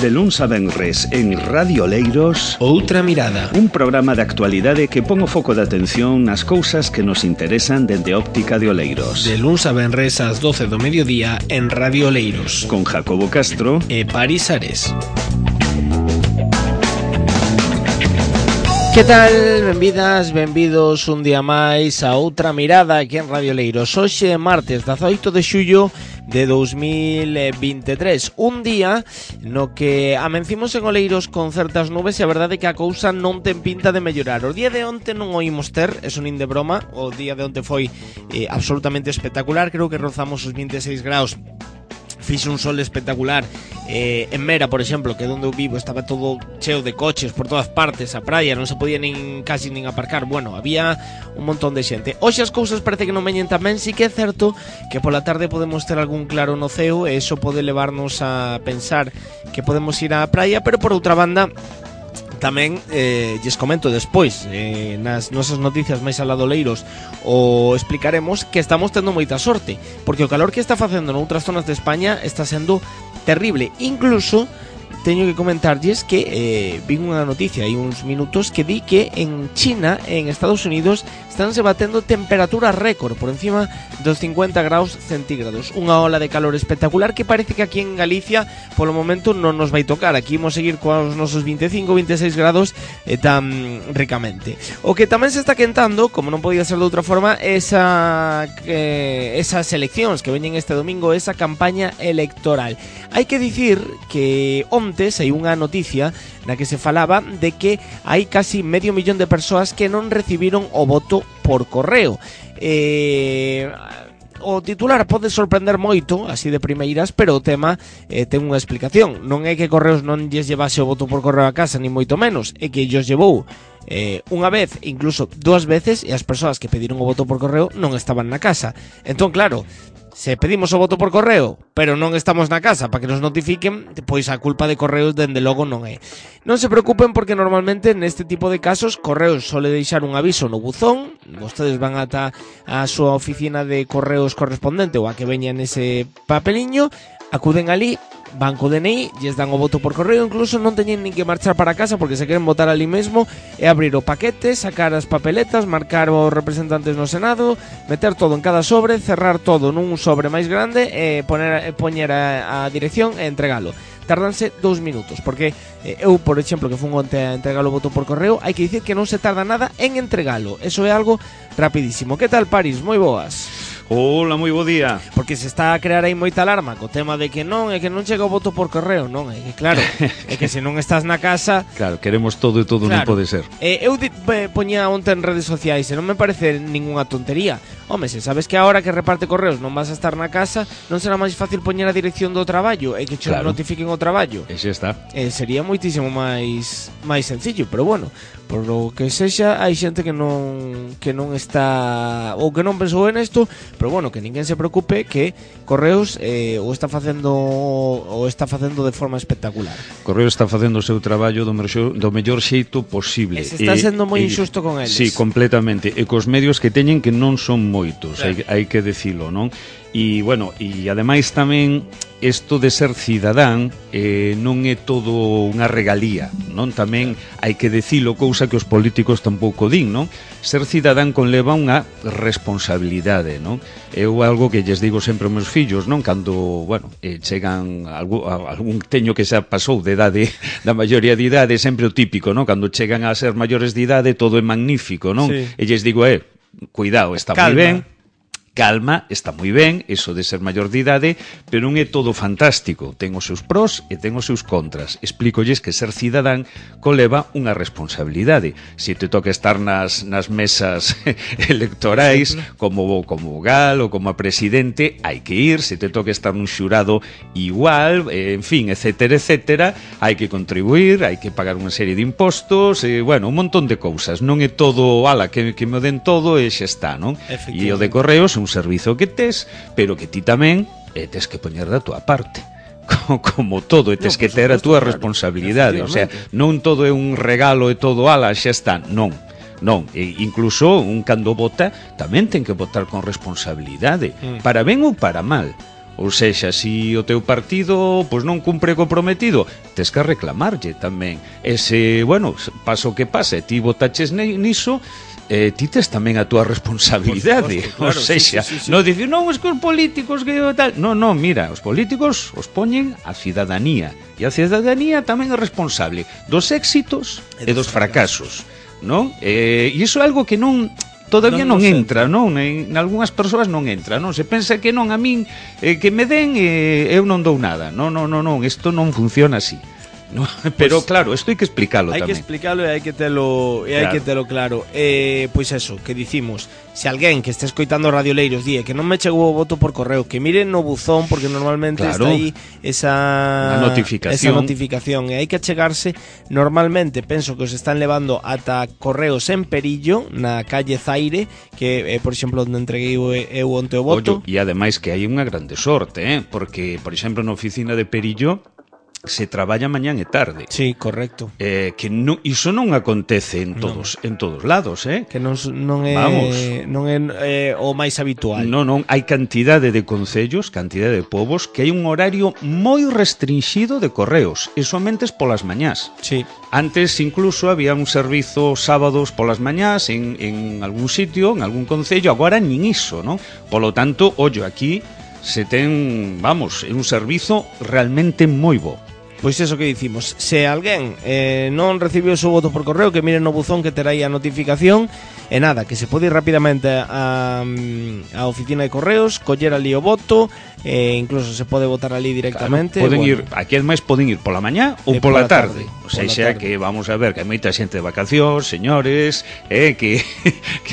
De luns a venres en Radio Oleiros, Outra Mirada, un programa de actualidade que pon o foco de atención nas cousas que nos interesan dende óptica de Oleiros. de luns a venres ás 12 do mediodía en Radio Oleiros, Con Jacobo Castro e Paris Ares. Que tal? Benvidas, benvidos un día máis a Outra Mirada aquí en Radio Oleiros. Hoxe martes 18 de xullo de 2023, un día no que amencimos en Oleiros con certas nubes e a verdade é que a cousa non ten pinta de mellorar. O día de onte non o imos ter, eso nin de broma. O día de onte foi absolutamente espectacular, creo que rozamos os 26 graus. Fixe un sol espectacular en Mera, por exemplo, que é onde eu vivo, estaba todo cheo de coches por todas partes, a praia non se podía casi nin aparcar. Bueno, había un montón de xente. Hoxe as cousas parece que non veñen tan ben. Sí que é certo que pola tarde podemos ter algún claro no ceo e iso pode levarnos a pensar que podemos ir á praia, pero por outra banda tamén lles comento despois nas nosas noticias máis alá do Oleiros o explicaremos que estamos tendo moita sorte, porque o calor que está facendo noutras zonas de España está sendo terrible. Incluso teño que comentarlles que vi unha noticia hai uns minutos que di que en China, en Estados Unidos, estánse batendo temperaturas récord por encima dos 50 graus centígrados. Unha ola de calor espectacular que parece que aquí en Galicia polo momento non nos vai tocar. Aquí imos seguir cos nosos 25, 26 grados tan ricamente. O que tamén se está quentando, como non podía ser de outra forma, esas eleccións que veñen este domingo, esa campaña electoral. Hai que dicir que onte saiu unha noticia na que se falaba de que hai casi medio millón de persoas que non recibiron o voto por correo. O titular pode sorprender moito, así de primeiras, pero o tema ten unha explicación. Non é que Correos non lles llevase o voto por correo a casa, ni moito menos, é que lles llevou unha vez, incluso dúas veces, e as persoas que pediron o voto por correo non estaban na casa. Entón, claro, se pedimos o voto por correo, pero non estamos na casa para que nos notifiquen, pois a culpa de Correos dende logo non é. Non se preocupen porque normalmente neste tipo de casos Correos sole deixar un aviso no buzón, vostedes van ata a súa oficina de correos correspondente ou a que veña nese papeliño, acuden ali, van co DNI, lles dan o voto por correo, incluso non teñen nin que marchar para casa porque se queren votar ali mesmo e abrir o paquete, sacar as papeletas, marcar os representantes no Senado, meter todo en cada sobre, cerrar todo nun sobre máis grande e poñer a dirección e entregalo. Tardanse 2 minutos, porque eu, por exemplo, que fun onte a entregar o voto por correo, hai que dicir que non se tarda nada en entregalo. Eso é algo rapidísimo. Que tal, Paris? Moi boas. Hola, moi bo día. Porque se está a crear aí moita alarma co tema de que non, é que non chega o voto por correo. Non, é que claro, é que se non estás na casa. Claro, queremos todo e todo claro, non pode ser. Eu poñía onte en redes sociais e non me parece ningunha tontería. Home, se sabes que a hora que reparte correos non vas a estar na casa, non será máis fácil poñer a dirección do traballo e que che notifiquen o traballo. E xa está. Sería moitísimo máis sencillo, pero bueno, por o que sexa, hai xente que non está ou que non pensou en isto, pero bueno, que ninguén se preocupe que Correos o está facendo de forma espectacular. Correos está facendo o seu traballo do mellor xeito posible. Se está sendo moi injusto con eles. Sí, completamente. E cos medios que teñen que non son moitos, claro. hai que dicilo, non? E, bueno, e ademais tamén isto de ser cidadán non é todo unha regalía, non? Tamén hai que dicilo, cousa que os políticos tampouco din, non? Ser cidadán conleva unha responsabilidade, non? Eu algo que lles digo sempre aos meus fillos, non? Cando, bueno, chegan algún teño que xa pasou de idade, da maioría de idade, sempre o típico, non? Cando chegan a ser maiores de idade todo é magnífico, non? Sí. E lles digo, cuidado, está moi ben. Calma, está moi ben, eso de ser maior de idade, pero non é todo fantástico. Ten os seus pros e ten os seus contras. Explícolles que ser cidadán conleva unha responsabilidade. Se te toca estar nas mesas electorais, como vogal ou como presidente, hai que ir. Se te toca estar nun xurado igual, en fin, etcétera, etcétera, hai que contribuir, hai que pagar unha serie de impostos, bueno, un montón de cousas. Non é todo, ala, que me den todo e xa está, non? E o de Correos un servizo que tes, pero que ti tamén tes que poñer da túa parte. Como todo, tes que ter a túa responsabilidade. O sea, non todo é un regalo e todo, ala, xa está. Non. Incluso un cando vota tamén ten que votar con responsabilidade, para ben ou para mal. Ou sexa, si o teu partido pois non cumpre comprometido, tes que reclamarlle tamén. Ese, bueno, pasa o que pase, ti votaches niso, ti tes tamén a túa responsabilidade. Claro, ou sexa, sí. Non dicir, non, es que os políticos que tal. Non, mira, os políticos os poñen a cidadanía, e a cidadanía tamén é responsable dos éxitos e dos fracasos, non? E iso é algo que non todavía non entra, non? En algunhas persoas non entra, non? Se pensa que non, a min que me den eu non dou nada. Non, isto non funciona así. No, pero pues, claro, isto hai que explicalo tamén. Hai que explicalo e hai que telo claro. Pois eso, que dicimos, se alguén que este escoitando Radioleiros die que non me chegou o voto por correo, que miren no buzón, porque normalmente está aí esa notificación e hai que achegarse. Normalmente penso que os están levando ata correos en Perillo, na calle Zaire, que por exemplo onde entreguei eu onte o voto. E ademais que hai unha grande sorte, porque por exemplo na oficina de Perillo se traballa mañán e tarde. Sí, correcto. Que iso non acontece en todos lados, que non é o máis habitual. Non, hai cantidade de concellos, cantidade de povos que hai un horario moi restringido de correos, e somente polas mañás. Sí. Antes incluso había un servizo sábados polas mañás en algún sitio, en algún concello, agora nin iso, non? Polo tanto, ollo, aquí se ten, vamos, é un servizo realmente moi bo. Pois eso que dicimos, se alguén non recibiu o seu voto por correo, que mire no buzón que terá aí a notificación, e nada, que se pode ir rapidamente a oficina de correos, coller ali o voto, incluso se pode votar ali directamente. Claro, ir, aquí ademais poden ir pola mañá ou pola tarde. O sea, que vamos a ver que hai moita xente de vacacións, señores, que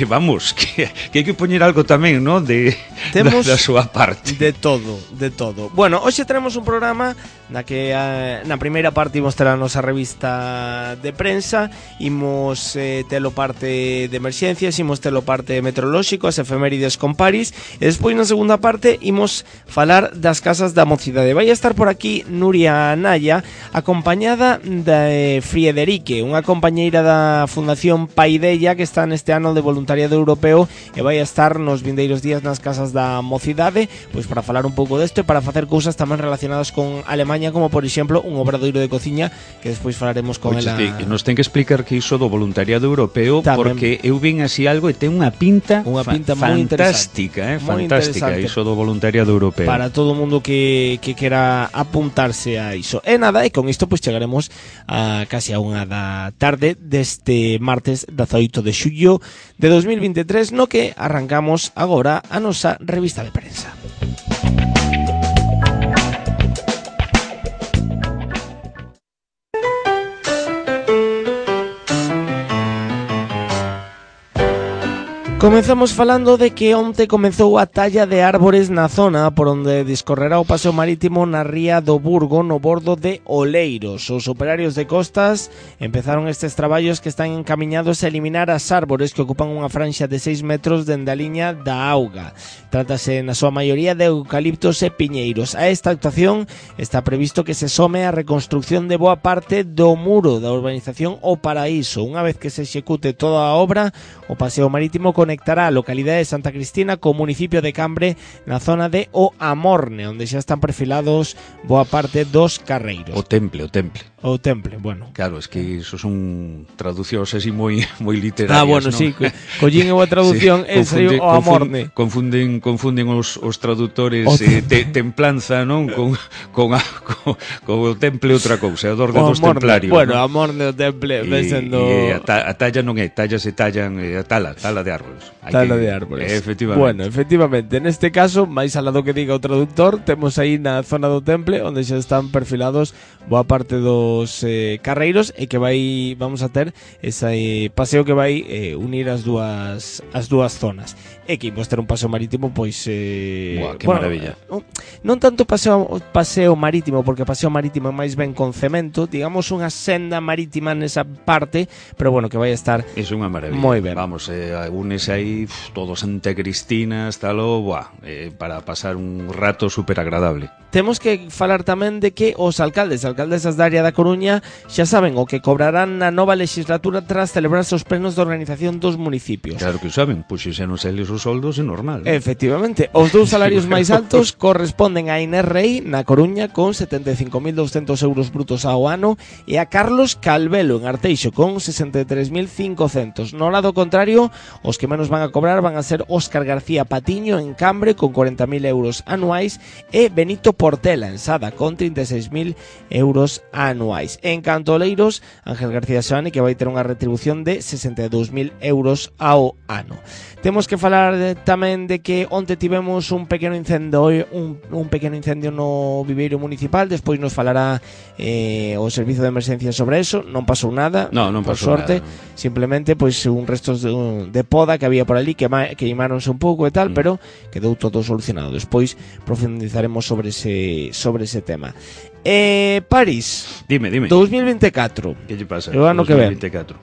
vamos, que hai que poñer algo tamén, non, da súa parte. De todo. Bueno, hoxe tenemos un programa na que na primeira parte imos ter a nosa revista de prensa, imos telo parte de emerxencias, imos telo parte meteorolóxico, as efemérides con París, e despois na segunda parte imos falar das casas da mocidade. Vai estar por aquí Nuria Naya, acompañada de Friederike, unha compañeira da Fundación Paideia que está neste ano de voluntariado europeo e vai estar nos vindeiros días nas casas da mocidade, pois para falar un pouco desto e para facer cousas tamén relacionadas con Alemaña, como por exemplo un obradoiro de cociña que despois falaremos con ela. Nos ten que explicar que iso do voluntariado europeo tamén, porque eu vin así algo e ten unha pinta fantástica, fantástica iso do voluntariado europeo. Para todo o mundo que quera apuntarse a iso. E nada, e con isto pois chegaremos a casi a unha da tarde deste martes 18 de xullo de 2023, no que arrancamos agora a nosa revista de prensa. Comezamos falando de que onte comezou a talla de árbores na zona por onde discorrerá o paseo marítimo na ría do Burgo, no bordo de Oleiros. Os operarios de costas empezaron estes traballos que están encamiñados a eliminar as árbores que ocupan unha franxa de 6 metros dende a liña da auga. Trátase na súa maioría de eucaliptos e piñeiros. A esta actuación está previsto que se some a reconstrucción de boa parte do muro da urbanización O Paraíso. Unha vez que se execute toda a obra, o paseo marítimo conectará a localidade de Santa Cristina co municipio de Cambre na zona de O Amorne, onde xa están perfilados boa parte dos carreiros. O temple. Bueno. Claro, es que iso son traducións así moi literarias, bueno, ¿no? Sí, collín eu a traducción sí, O Amorne. Confunden os traductores templanza, non? Con o temple outra cousa, o orde dos templarios. Bueno, ¿no? Amorne o temple, sendo a talla non é, tallas se tallan a tala de árboles. De árboles. Efectivamente. Bueno, efectivamente, neste caso, máis alá do que diga o traductor, temos aí na zona do temple onde xa están perfilados boa parte dos carreiros e que vamos a ter ese paseo que vai unir as dúas zonas. E que imos ter un paseo marítimo, pois que maravilla. Non tanto paseo marítimo, porque paseo marítimo é máis ben con cemento, digamos unha senda marítima nesa parte, pero bueno, que vai estar é unha maravilla. Moi ben. Vamos, únese aí todo Santa Cristina, para pasar un rato super agradable. Temos que falar tamén de que os alcaldesas da área da Coruña xa saben o que cobrarán na nova legislatura tras celebrarse os plenos de organización dos municipios. Claro que o saben, pois xa non se les os os soldos é normal. Efectivamente, os dous salarios máis altos corresponden a Inés Rei na Coruña con 75.200 euros brutos ao ano e a Carlos Calvelo en Arteixo con 63.500. No lado contrario, os que menos van a cobrar van a ser Óscar García Patiño en Cambre con 40.000 euros anuais e Benito Portela en Sada con 36.000 euros anuais. En canto a Oleiros, Ángel García Seoane, que vai ter unha retribución de 62.000 euros ao ano. Temos que falar tamén de que onte tivemos un pequeno incendio no viveiro municipal. Despois nos falará o servizo de emerxencia sobre eso. Non pasou nada, non por pasou sorte nada, no. Simplemente pois un restos de poda que había por ali que imáronse un pouco e tal, pero quedou todo solucionado. Despois profundizaremos sobre ese tema. París, dime 2024. Que lle pasa? O ano que ven. 2024.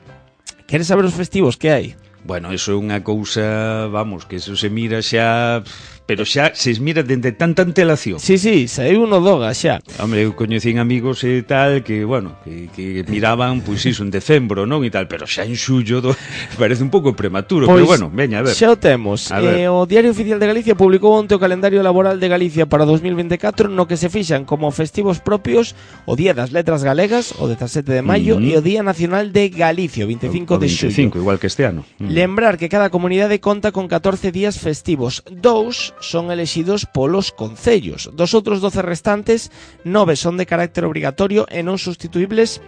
Queres saber os festivos que hai? Bueno, eso é unha cousa, vamos, que eso se mira xa, pero xa se mira dende tanta antelación. Sí, saiu no Doga xa. Hombre, eu coñecín amigos e tal que, bueno, que miraban, pois iso, en decembro, non? E tal, pero xa en xullo parece un pouco prematuro, pois, pero bueno, veña, a ver. Xa o temos. O Diario Oficial de Galicia publicou onte o calendario laboral de Galicia para 2024, no que se fixan como festivos propios o Día das Letras Galegas, o 17 de maio, e o Día Nacional de Galicia, o 25 de xullo. 25, igual que este ano. Lembrar que cada comunidade conta con 14 días festivos. 2 son elexidos polos concellos. Dos outros 12 restantes, 9 son de carácter obrigatorio e non sustituibles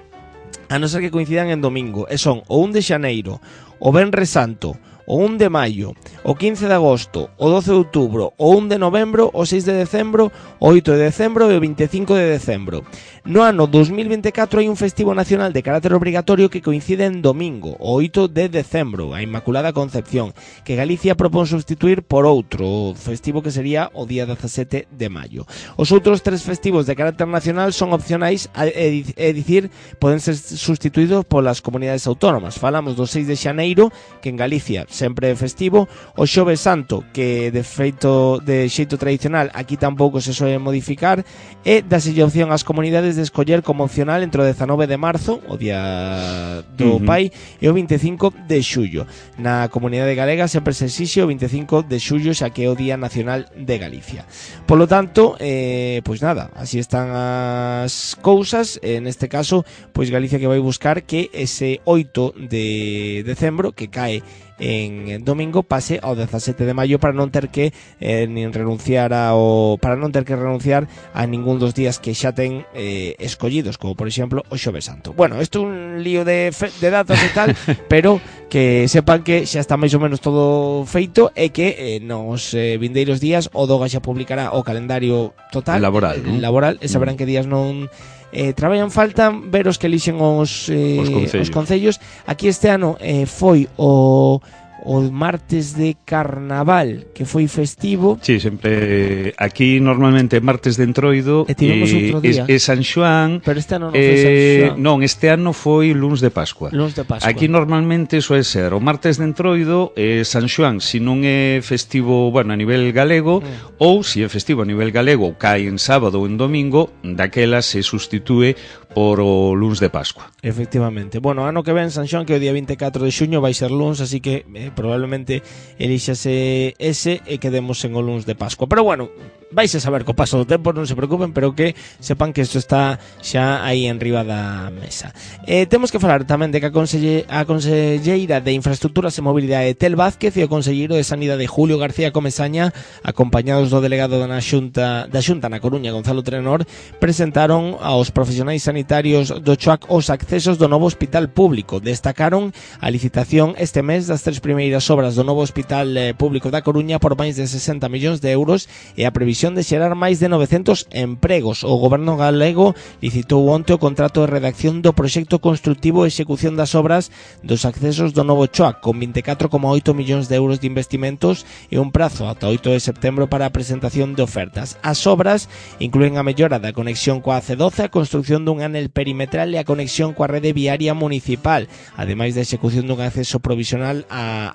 a non ser que coincidan en domingo. E son o 1 de xaneiro, o Venres Santo, o 1 de maio, o 15 de agosto, o 12 de outubro, o 1 de novembro, o 6 de decembro, o 8 de decembro e o 25 de decembro. No ano 2024 hai un festivo nacional de carácter obrigatorio que coincide en domingo, o 8 de decembro, a Inmaculada Concepción, que Galicia propón sustituir por outro festivo que sería o día 17 de maio. Os outros 3 festivos de carácter nacional son opcionais, é dicir, poden ser sustituídos polas comunidades autónomas. Falamos do 6 de xaneiro, que en Galicia sempre é festivo, o Xoves Santo, que de xeito tradicional aquí tampouco se soe modificar, e daselle opción ás comunidades de escoller como opcional entre o 19 de marzo, o día do pai, e o 25 de xullo. Na comunidade galega sempre se exixe o 25 de xullo, xa que é o Día Nacional de Galicia. Polo tanto, pois nada, así están as cousas. En este caso, pois Galicia que vai buscar que ese 8 de decembro, que cae en domingo, pase ao 17 de maio para non ter que renunciar a ningún dos días que xa ten escollidos, como por exemplo o Xoves Santo. Bueno, isto é un lío de datos e tal, pero que sepan que xa está máis ou menos todo feito e que nos vindeiros días o Doga xa publicará o calendario total laboral, e saberán que días non traballan. Faltan ver os que elixen os concellos. Aquí este ano foi o martes de Carnaval, que foi festivo. Sí, sempre aquí normalmente martes de Entroido e San Xoán. Pero este ano non foi San Xoán. Non, este ano foi luns de Pascua. Aquí normalmente soe ser o martes de Entroido e San Xoán, se non é festivo, bueno, a nivel galego, ou se é festivo a nivel galego, cae en sábado ou en domingo, daquela se sustitúe por o luns de Pascua. Efectivamente. Bueno, ano que ven San Xoán, que o día 24 de xuño vai ser luns, así que probablemente elixase ese e quedemos en o luns de Pascua. Pero bueno, vais a saber co paso do tempo, non se preocupen, pero que sepan que isto está xa aí en riba da mesa. Temos que falar tamén de que a conselleira de Infraestructuras e Mobilidade Tel Vázquez e o conselleiro de Sanidade Julio García Comesaña, acompañados do delegado da Xunta na Coruña, Gonzalo Trenor, presentaron aos profesionais sanitarios do CHOAC os accesos do novo hospital público. Destacaron a licitación este mes das 3 primeiras obras do novo hospital público da Coruña por máis de 60 millóns de euros e a previsión de xerar máis de 900 empregos. O goberno galego licitou onte o contrato de redacción do proxecto constructivo e execución das obras dos accesos do novo CHOAC, con 24,8 millóns de euros de investimentos e un prazo ata 8 de setembro para a presentación de ofertas. As obras incluen a mellora da conexión coa AC12, a construcción dun anel perimetral e a conexión coa rede viaria municipal, ademais da execución dun acceso provisional a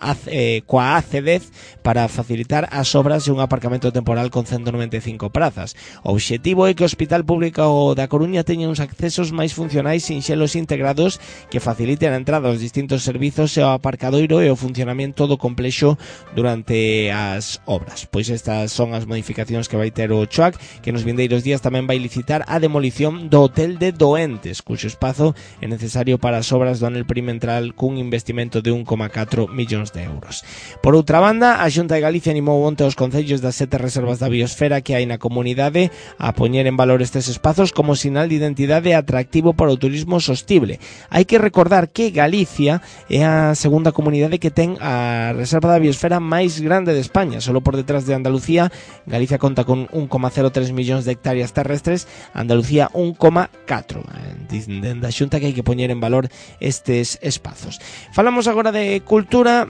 coa AC10 para facilitar as obras de un aparcamento temporal con 195 prazas. O obxectivo é que o Hospital Público da Coruña teña uns accesos máis funcionais, sinxelos e integrados que faciliten a entrada aos distintos servizos e ao aparcadoiro e o funcionamento do complexo durante as obras. Pois estas son as modificacións que vai ter o CHOAC, que nos vindeiros días tamén vai licitar a demolición do Hotel de Doentes, cuxo espazo é necesario para as obras do anel perimetral cun investimento de 1,4 millóns de euros. Por outra banda, a Xunta de Galicia animou onte aos concellos das 7 reservas da biosfera que hai na comunidade a poñer en valor estes espazos como sinal de identidade atractivo para o turismo sostible. Hai que recordar que Galicia é a segunda comunidade que ten a reserva da biosfera máis grande de España, solo por detrás de Andalucía. Galicia conta con 1,03 millóns de hectáreas terrestres, Andalucía 1,4. Dende a Xunta que hai que poñer en valor estes espazos. Falamos agora de cultura,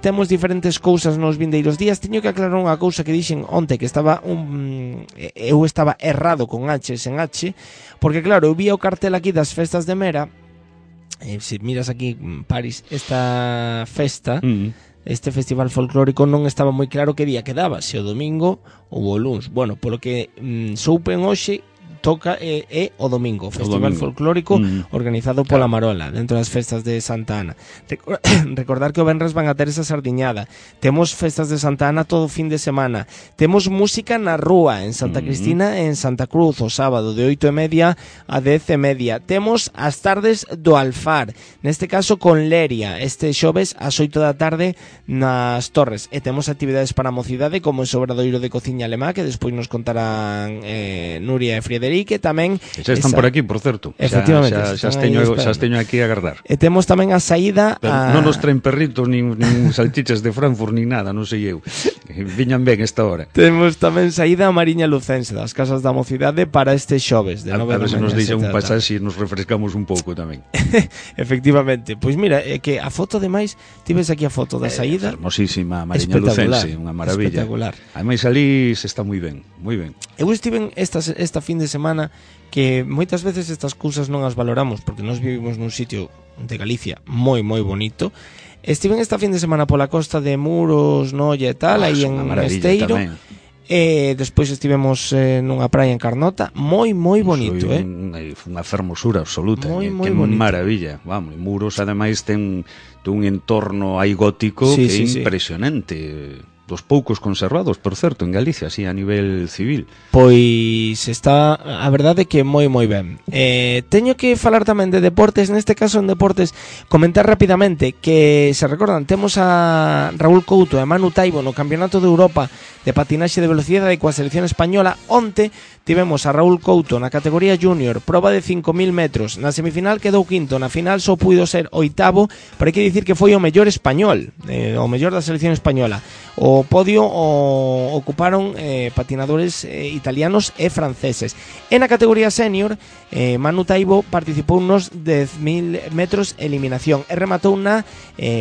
temos diferentes cousas nos vindeiros días. Teño que aclarar unha cousa que dixen onte, que eu estaba errado con H sen H, porque claro, eu vi o cartel aquí das festas de Mera. Se miras aquí, París, esta festa, este festival folclórico non estaba moi claro que día quedaba, se o domingo ou o luns. Bueno, polo que soupen hoxe, toca o domingo, festival folclórico organizado pola Marola dentro das festas de Santa Ana. Recordar que o venres van a ter esa sardiñada. Temos festas de Santa Ana todo o fin de semana. Temos música na rúa en Santa Cristina e en Santa Cruz o sábado de 8:30 a 10:30. Temos as tardes do Alfar, neste caso con Leria, este xoves ás 8 da tarde nas Torres. E temos actividades para a mocidade como o obradoiro de cociña alemá, que despois nos contarán Nuria e Friederic, que tamén xa están por aquí, por certo. Efectivamente, xa teño aquí a agardar. E temos tamén a saída non nos traen perritos nin salchichas de Frankfurt nin nada, non sei eu. Viñan ben esta hora. Temos tamén saída a Mariña Lucense das Casas da Mocidade para este xoves de 9 da mañá. A ver se nos deixa un pasaxe e nos refrescamos un pouco tamén. Efectivamente. Pois mira, é que a foto demais, ti ves aquí a foto da saída. Hermosísima Mariña Lucense, unha maravilla. Espectacular. Ademais ali se está moi ben, moi ben. Eu estive esta fin de semana, que moitas veces estas cousas non as valoramos porque nós vivimos nun sitio de Galicia moi moi bonito. Estive esta fin de semana pola costa de Muros, Noia e tal, aí en Esteiro. Despois estivemos nunha praia en Carnota, moi moi bonito, unha fermosura absoluta, moi que bonito. Maravilla. Vamos, Muros ademais ten un entorno aí gótico que é impresionante. Dos poucos conservados, por certo, en Galicia, así a nivel civil. Pois está, a verdade que moi moi ben. Teño que falar tamén de deportes, neste caso en deportes, comentar rapidamente que, se recordan, temos a Raúl Couto e Manu Taibo no Campeonato de Europa de patinaxe de velocidade coa selección española. Onte tivemos a Raúl Couto na categoría junior, proba de 5.000 metros. Na semifinal quedou quinto, na final só puido ser oitavo, pero hai que dicir que foi o mellor español, o mellor da selección española. O podio ocuparon patinadores italianos e franceses. E na categoría senior, Manu Taibo participou nos 10.000 metros eliminación e rematou na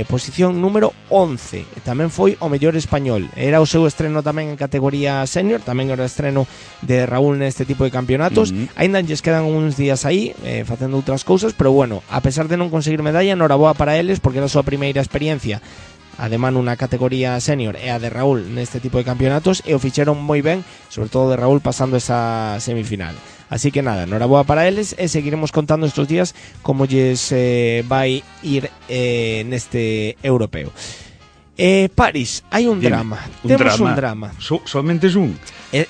posición número 11. Tamén foi o mellor español. Era o seu estreno tamén en categoría senior, tamén era o estreno de Raúl neste tipo de campeonatos. Ainda lles quedan uns días aí facendo outras cousas, pero bueno, a pesar de non conseguir medalla, noraboa para eles porque era a súa primeira experiencia a de Manu na categoría senior e a de Raúl neste tipo de campeonatos, e o fixeron moi ben, sobre todo de Raúl pasando esa semifinal. Así que nada, noraboa para eles, e seguiremos contando estos días como lles vai ir neste europeo. París, hai un drama. Temos un drama. Somente es un?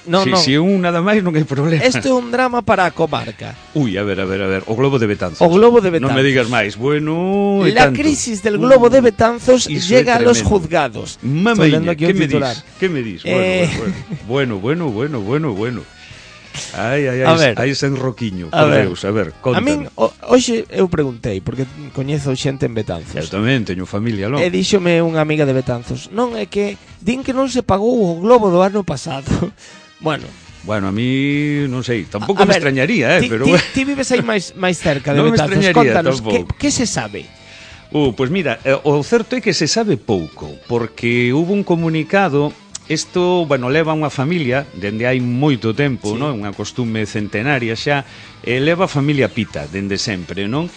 Non. Si é un nada máis non hai problema. Este é un drama para a comarca. Ui, a ver, o Globo de Betanzos. O Globo de Betanzos. Non me digas máis. Bueno, la crisis del Globo de Betanzos llega a los juzgados. Mamaña, ¿qué me dis? Bueno. Ai, sen roquiño. A ver, contanos. A min, hoxe eu preguntei, porque coñezo xente en Betanzos. Eu tamén teño familia, non? E díxome unha amiga de Betanzos, non, é que din que non se pagou o Globo do ano pasado. Bueno, a mí non sei, tampouco me extrañaría, pero ti vives aí máis cerca de Betanzos. Contanos, que se sabe? Pois mira, o certo é que se sabe pouco, porque hubo un comunicado Isto, bueno, leva unha familia dende hai moito tempo, sí, non? Unha costume centenaria xa, leva a familia Pita dende sempre, non?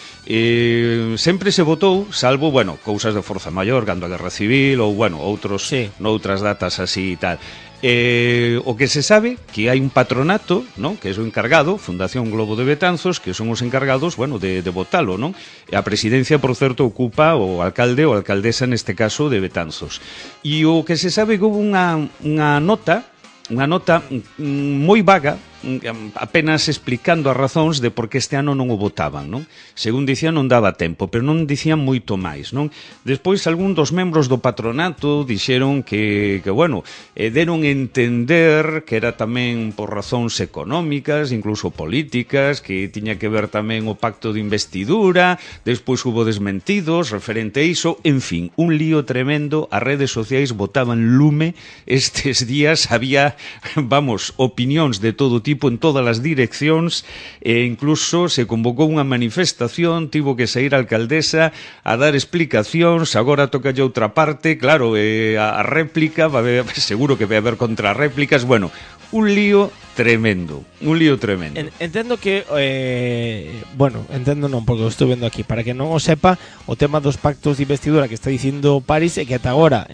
Sempre se votou, salvo, bueno, cousas de forza maior, cando a Guerra Civil ou, bueno, outros sí, noutras datas así e tal. O que se sabe que hai un patronato, non? Que é o encargado, Fundación Globo de Betanzos, que son os encargados, bueno, de votalo, non? E a presidencia, por certo, ocupa o alcalde ou alcaldesa neste caso de Betanzos. E o que se sabe que houve unha nota moi vaga, apenas explicando as razóns de por que este ano non o votaban, non? Según dicían, non daba tempo, pero non dicían moito máis, non? Despois, algún dos membros do patronato dixeron que bueno, deron entender que era tamén por razóns económicas, incluso políticas, que tiña que ver tamén o pacto de investidura, despois hubo desmentidos referente a iso, en fin, un lío tremendo, as redes sociais botaban lume, estes días había, vamos, opinións de todo tipo en todas as direccións, e incluso se convocou unha manifestación, tivo que sair a alcaldesa a dar explicacións, agora toca lle outra parte, claro, a réplica, va haber, seguro que vai haber contrarréplicas, bueno, un lío tremendo, un lío tremendo. Entendo que, bueno, entendo non, porque o estou vendo aquí, para que non o sepa, o tema dos pactos de investidura que está dicindo París é que ata agora,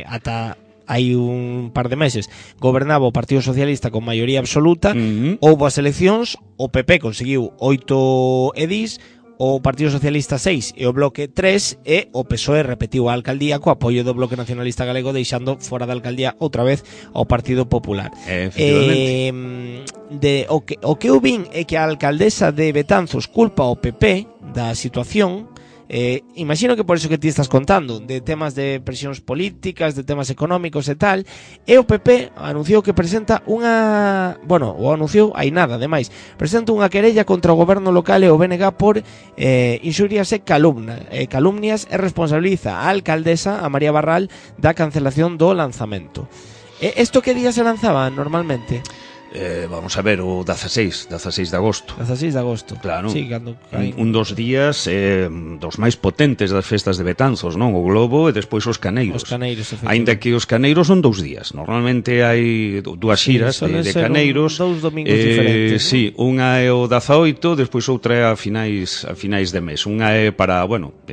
ata hai un par de meses, gobernaba o Partido Socialista con maioría absoluta, houbo as eleccións, o PP conseguiu 8 edís, o Partido Socialista 6 e o Bloque 3, e o PSOE repetiu a alcaldía co apoio do Bloque Nacionalista Galego, deixando fora da alcaldía outra vez ao Partido Popular. O que eu vin é que a alcaldesa de Betanzos culpa ao PP da situación. Imagino que por eso que ti estás contando, de temas de presións políticas, de temas económicos e tal, e o PP anunciou que presenta unha, bueno, o anunciou hai nada, ademais, presenta unha querella contra o goberno local e o BNG por inxurias e calumnias, e responsabiliza a alcaldesa, a María Barral, da cancelación do lanzamento. Isto que día se lanzaba normalmente? Vamos a ver, o 16 de agosto. 16 de agosto. Claro, sí, un dos días dos máis potentes das festas de Betanzos, non? O Globo e despois os Caneiros. Os Caneiros, aínda que os Caneiros son 2 días. Normalmente hai dúas xiras de Caneiros. Dous domingos diferentes. Sí, unha é o 18, despois outra é a finais de mes. Unha é para, bueno,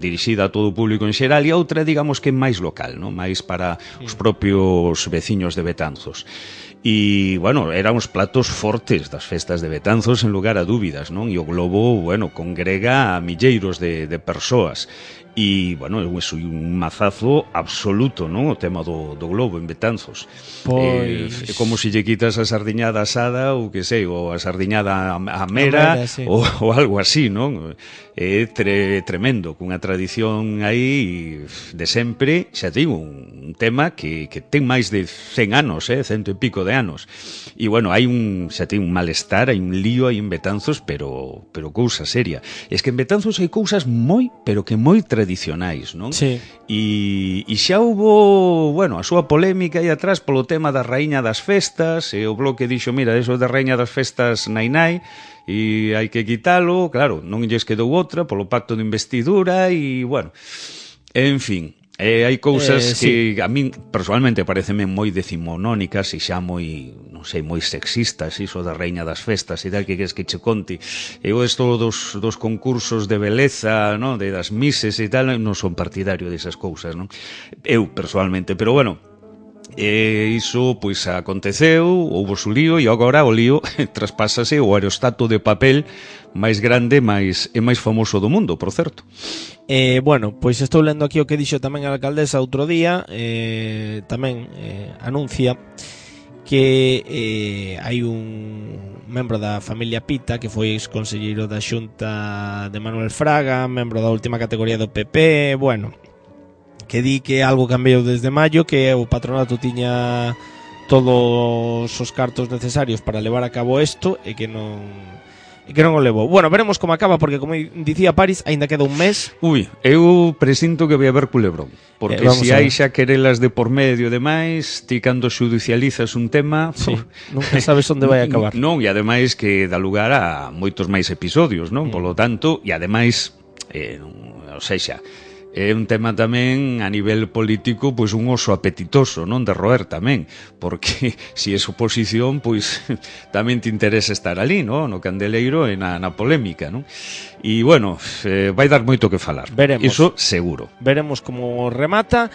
dirixida a todo o público en xeral, e a outra, digamos que é máis local, non? Máis para os propios veciños de Betanzos. E, bueno, eran os platos fortes das festas de Betanzos, en lugar a dúbidas, non? E o Globo, bueno, congrega a milleiros de persoas. E, bueno, é un mazazo absoluto, non? O tema do Globo en Betanzos. Pois... É como se lle quitas a sardiñada asada, ou que sei, ou a sardiñada a mera, sí, ou algo así, non? É tremendo, cunha tradición aí de sempre. Xa digo, un tema que ten máis de 100 anos, 100 e pico de anos. E, bueno, hai xa ten un malestar, hai un lío aí en Betanzos, pero cousa seria. Es que en Betanzos hai cousas moi, pero que moi tradicionais, non? Sí. E xa hubo, bueno, a súa polémica aí atrás polo tema da raíña das festas, e o Bloque dixo, mira, eso da raíña das festas nai, e hai que quitalo, claro, non lles quedou outra polo pacto de investidura, e, bueno, en fin, hai cousas que a min personalmente pareceme moi decimonónicas e xa moi, non sei, moi sexistas, iso da raíña das festas e tal, que queres que che conte. Eu isto dos concursos de beleza, non, de das mises e tal, non son partidario desas cousas, non? Eu personalmente, pero bueno, iso pois aconteceu, houbo su lío, e agora o lío traspásase o aerostato de papel máis grande e máis famoso do mundo, por certo. Bueno, pois estou lendo aquí o que dixo tamén a alcaldesa outro día, tamén anuncia que hai un membro da familia Pita que foi exconselleiro da Xunta de Manuel Fraga, membro da última categoría do PP, bueno, que di que algo cambiou desde maio, que o patronato tiña todos os cartos necesarios para levar a cabo isto e que non o levou. Bueno, veremos como acaba, porque como dicía París, aínda queda un mes. Ui, eu presinto que vai haber culebrón, porque se hai xa querelas de por medio e demais, ti cando xudicializas un tema, sí, nunca sabes onde vai acabar. Non, e ademais que dá lugar a moitos máis episodios, non? Polo tanto, e ademais, ou sexa, é un tema tamén a nivel político, pois un oso apetitoso, non, de roer tamén, porque se es oposición, pois tamén te interesa estar ali, non, no candeleiro e na polémica, non? E, bueno, vai dar moito que falar. Veremos. Iso seguro. Veremos como remata.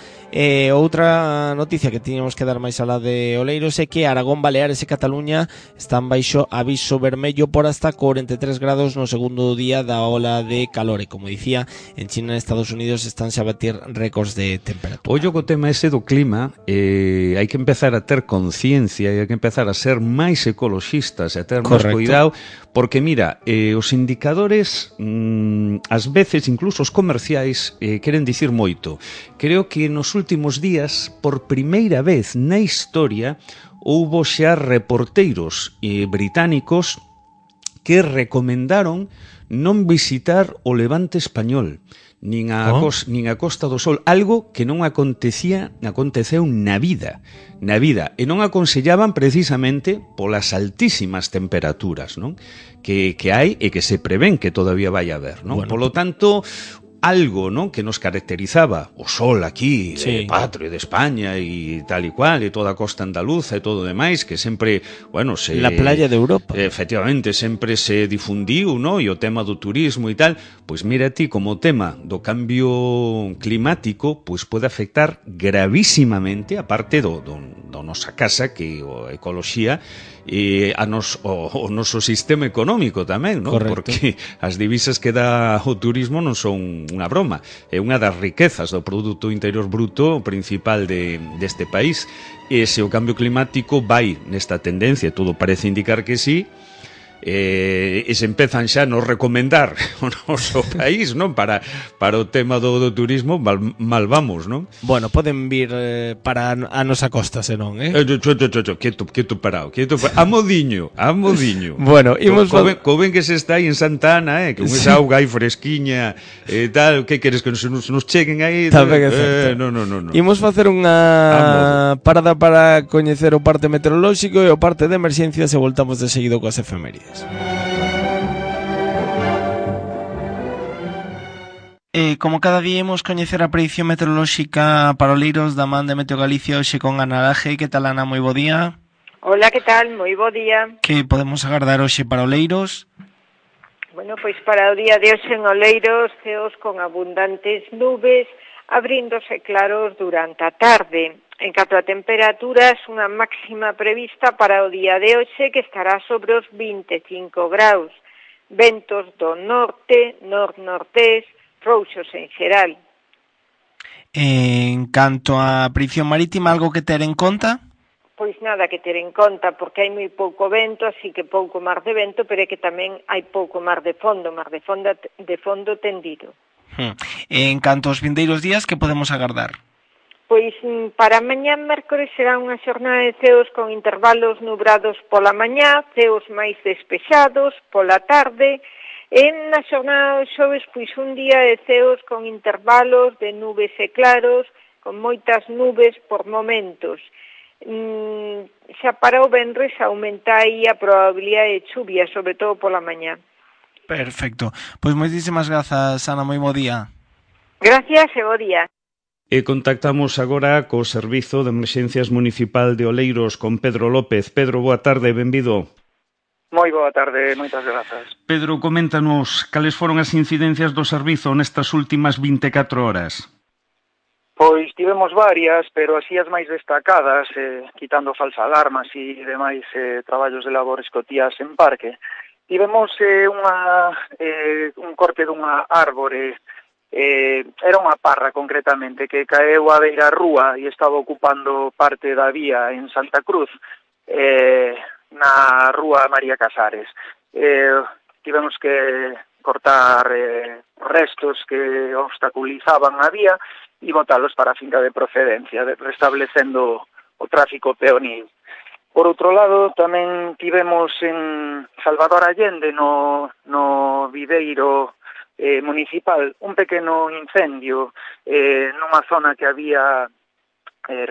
Outra noticia que tiñamos que dar máis alá de Oleiros é que Aragón, Baleares e Cataluña están baixo aviso vermello por hasta 43 grados no segundo día da ola de calor. E, como dicía, en China e Estados Unidos estánse a batir récords de temperatura. Ollo co tema ese do clima, hai que empezar a ter conciencia e hai que empezar a ser máis ecoloxistas e a ter máis cuidado, porque mira, os indicadores ás veces, incluso os comerciais, queren dicir moito. Creo que nos últimos días, por primeira vez na historia, houbo xa reporteiros británicos que recomendaron non visitar o levante español, nin a Costa do Sol, algo que non aconteceu na vida, e non aconsellaban precisamente polas altísimas temperaturas, non? Que hai e que se prevén que todavía vai haber, non? Bueno, polo tanto, algo, non, que nos caracterizaba o sol aquí, patrio de España e tal e cual, e toda a costa andaluza e todo o demais, que sempre, bueno, la playa de Europa. Efectivamente, sempre se difundiu, non, e o tema do turismo e tal, pois mira ti, como o tema do cambio climático, pois pode afectar gravísimamente a parte do nosa casa, que a ecoloxía, e o noso sistema económico tamén, non? Porque as divisas que dá o turismo non son unha broma, é unha das riquezas do Produto Interior Bruto principal deste país, e se o cambio climático vai nesta tendencia, todo parece indicar que sí, e se empezan xa a nos recomendar o noso país, non, para o tema do turismo, mal vamos, non? Bueno, poden vir para a nosa costa, senón, quieto parado, a modiño. Bueno, imos co ben que se está aí en Santa Ana, que con esa auga aí fresquiña e tal, que queres que nos cheguen aí? Tamén é certo. No. Imos facer unha parada para coñecer o parte meteorolóxico e o parte de emerxencias e voltamos de seguido coas efemérides. Como cada día imos coñecer a predición meteorolóxica para Oleiros da man de Meteo Galicia hoxe con Ana Laje. Que tal, Ana? Moi bo día. Hola, que tal? Moi bo día. Que podemos agardar hoxe para Oleiros? Bueno, pois para o día de hoxe en Oleiros, ceos con abundantes nubes, abríndose claros durante a tarde. En canto a temperaturas, unha máxima prevista para o día de hoxe que estará sobre os 25 graus. Ventos do norte, nor-nortés, frouxos en xeral. En canto a predicción marítima, algo que ter en conta? Pois nada que ter en conta, porque hai moi pouco vento, así que pouco mar de vento, pero é que tamén hai pouco mar de fondo tendido. En canto aos vindeiros días, que podemos agardar? Pois para mañá mércores será unha xornada de ceos con intervalos nubrados pola mañá, ceos máis despexados pola tarde, e na xornada do xoves pois un día de ceos con intervalos de nubes e claros, con moitas nubes por momentos. Xa para o venres aumenta aí a probabilidade de chuvia, sobre todo pola mañá. Perfecto. Pois moitísimas grazas, Ana, moi bo día. Gracias e bo día. E contactamos agora co Servizo de Emerxencias Municipal de Oleiros con Pedro López. Pedro, boa tarde, benvido. Moi boa tarde, moitas grazas. Pedro, coméntanos cales foron as incidencias do servizo nestas últimas 24 horas. Pois tivemos varias, pero así as máis destacadas, quitando falsa alarmas e demais traballos de labor escotías en parque. Tivemos un corte dunha árbore, era unha parra concretamente, que caeu a beira rúa e estaba ocupando parte da vía en Santa Cruz, na rúa María Casares. Tivemos que cortar restos que obstaculizaban a vía e botalos para a finca de procedencia, restablecendo o tráfico peonil. Por outro lado, tamén tivemos en Salvador Allende, no viveiro municipal, un pequeno incendio nunha zona que había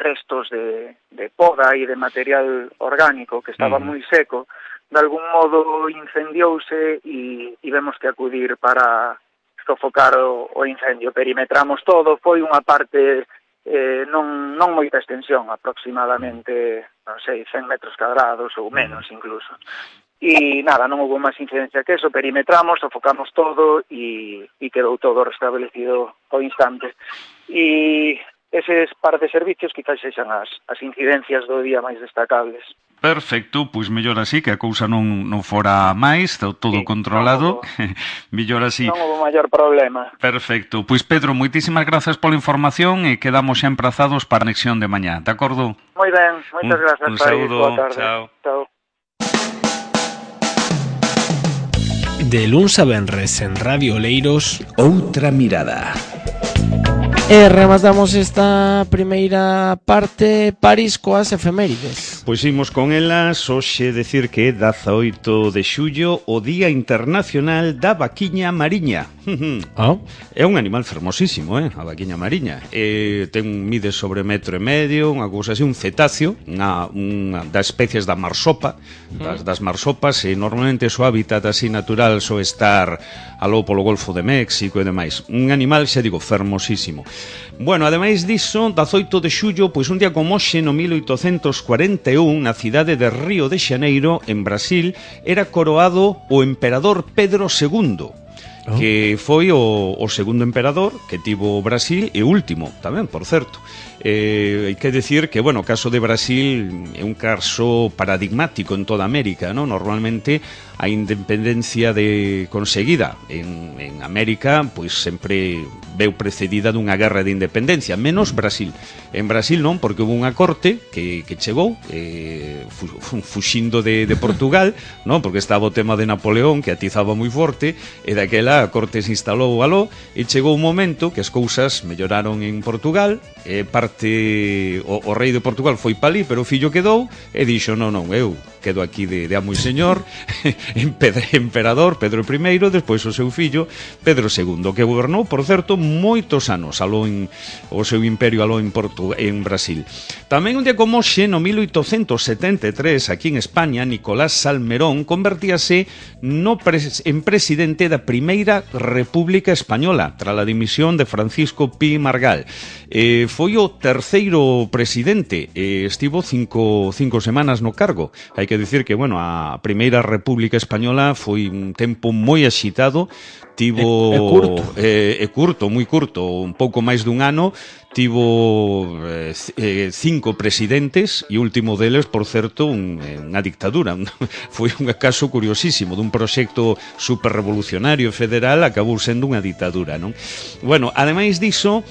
restos de poda e de material orgánico que estaba moi seco. De algún modo incendiouse e tivemos que acudir para sofocar o incendio. Perimetramos todo, foi unha parte non moita extensión, aproximadamente, non sei, 100 metros cuadrados ou menos incluso. E nada, non houve máis incidencia que eso, perimetramos, sofocamos todo e quedou todo restablecido ao instante. E eses par de servicios quizás sexan as incidencias do día máis destacables. Perfecto, pois mellor así, que a cousa non fora máis, todo controlado, mellor así. Non houve maior problema. Perfecto, pois Pedro, moitísimas grazas pola información e quedamos xa emprazados para a conexión de mañá, de acordo? Moi ben, moitas grazas. Un saúdo, boa tarde. Chao. De luns a venres en Radio Oleiros, Outra mirada. E rematamos esta primeira parte, París, coas efemérides. Pois imos con elas, hoxe decir que é 18 de xullo, o Día Internacional da Vaquiña Mariña. É un animal fermosísimo, a vaquiña mariña. Mide sobre 1,5 metros, unha cousa así, un cetáceo, unha das especies da marsopa, das marsopas, e normalmente o seu hábitat así natural so estar aló polo Golfo de México e demais. Un animal, xa digo, fermosísimo. Bueno, ademais diso, 18 de xullo, pois un día como hoxe, no 1841, na cidade de Río de Xaneiro, en Brasil, era coroado o emperador Pedro II, que foi o segundo emperador que tivo Brasil e último tamén, por certo. Hai que decir que, bueno, o caso de Brasil é un caso paradigmático en toda América, ¿no? Normalmente a independencia conseguida en América, pois sempre veu precedida dunha guerra de independencia, menos Brasil. En Brasil non, porque houve unha corte que chegou fuxindo de Portugal, non? Porque estaba o tema de Napoleón, que atizaba moi forte, e daquela a corte se instalou aló, e chegou un momento que as cousas melloraron en Portugal, o rei de Portugal foi palí, pero o fillo quedou, e dixo, non, eu quedo aquí de amo e señor, emperador Pedro I, despois o seu fillo Pedro II, que gobernou, por certo, moitos anos aló o seu imperio aló en Brasil. Tamén un día como hoxe, no 1873, aquí en España, Nicolás Salmerón convertíase en presidente da Primeira República Española, tras a dimisión de Francisco Pi Margall. Foi o terceiro presidente, estivo cinco semanas no cargo. Hai que dicir que, bueno, a Primeira República Española foi un tempo moi axitado, tivo curto, moi curto, un pouco máis dun ano, tivo 5 presidentes e o último deles, por certo, unha dictadura. Foi un caso curiosísimo dun proxecto superrevolucionario federal, acabou sendo unha dictadura, non? Bueno, ademais diso,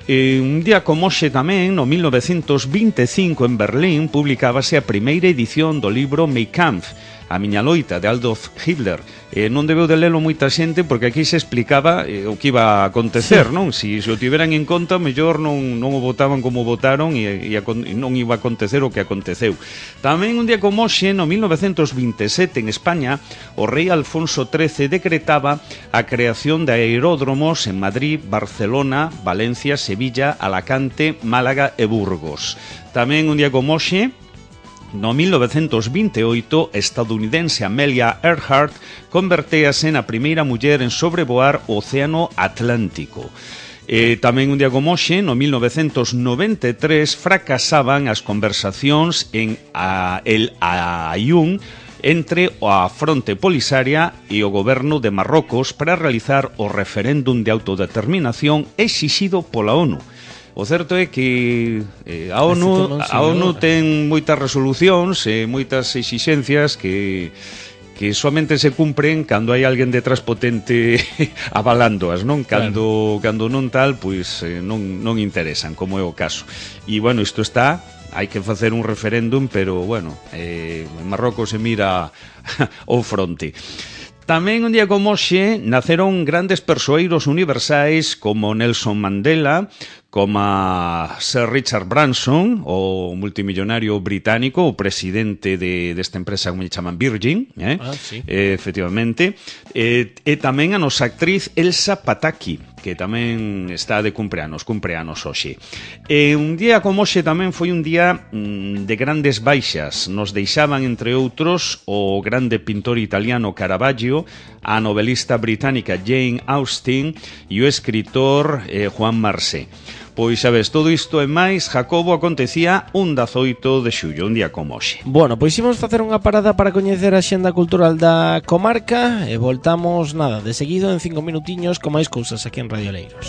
un día como hoxe tamén, no 1925, en Berlín, publicábase a primeira edición do libro Mein Kampf, a miña loita, de Adolf Hitler. Non debeu de lelo moita xente, porque aquí se explicaba o que iba a acontecer, non? Se o tiveran en conta, mellor non o votaban como votaron e non iba a acontecer o que aconteceu. Tamén un día como hoxe, no 1927, en España, o rei Alfonso XIII decretaba a creación de aeródromos en Madrid, Barcelona, Valencia, Sevilla, Alacante, Málaga e Burgos. Tamén un día como hoxe, no 1928, a estadounidense Amelia Earhart convertéase na primeira muller en sobrevoar o Océano Atlántico. Tamén un día como hoxe, no 1993, fracasaban as conversacións en El Aaiún entre a Fronte Polisaria e o goberno de Marrocos para realizar o referéndum de autodeterminación exixido pola ONU. O certo é que a ONU ten moitas resolucións e moitas exixencias que somente se cumpren cando hai alguén detrás potente avalándoas, non? Cando non tal, pois non interesan, como é o caso. E, bueno, isto está... Hai que facer un referéndum, pero, bueno, en Marrocos se mira ao fronte. Tamén un día como hoxe naceron grandes persoeiros universais como Nelson Mandela, como Sir Richard Branson, o multimillonario británico, o presidente desta empresa, como lle chaman, Virgin, sí. Efectivamente, e tamén a nosa actriz Elsa Pataky, que tamén está de cumpleanos hoxe. Un día como hoxe tamén foi un día de grandes baixas. Nos deixaban, entre outros, o grande pintor italiano Caravaggio, a novelista británica Jane Austen e o escritor Juan Marsé. Pois, sabes, todo isto e máis, Jacobo, acontecía un 18 de xullo, un día como hoxe. Bueno, pois imos facer unha parada para coñecer a xenda cultural da comarca e voltamos, de seguido en 5 minutiños con máis cousas aquí en Radio Oleiros.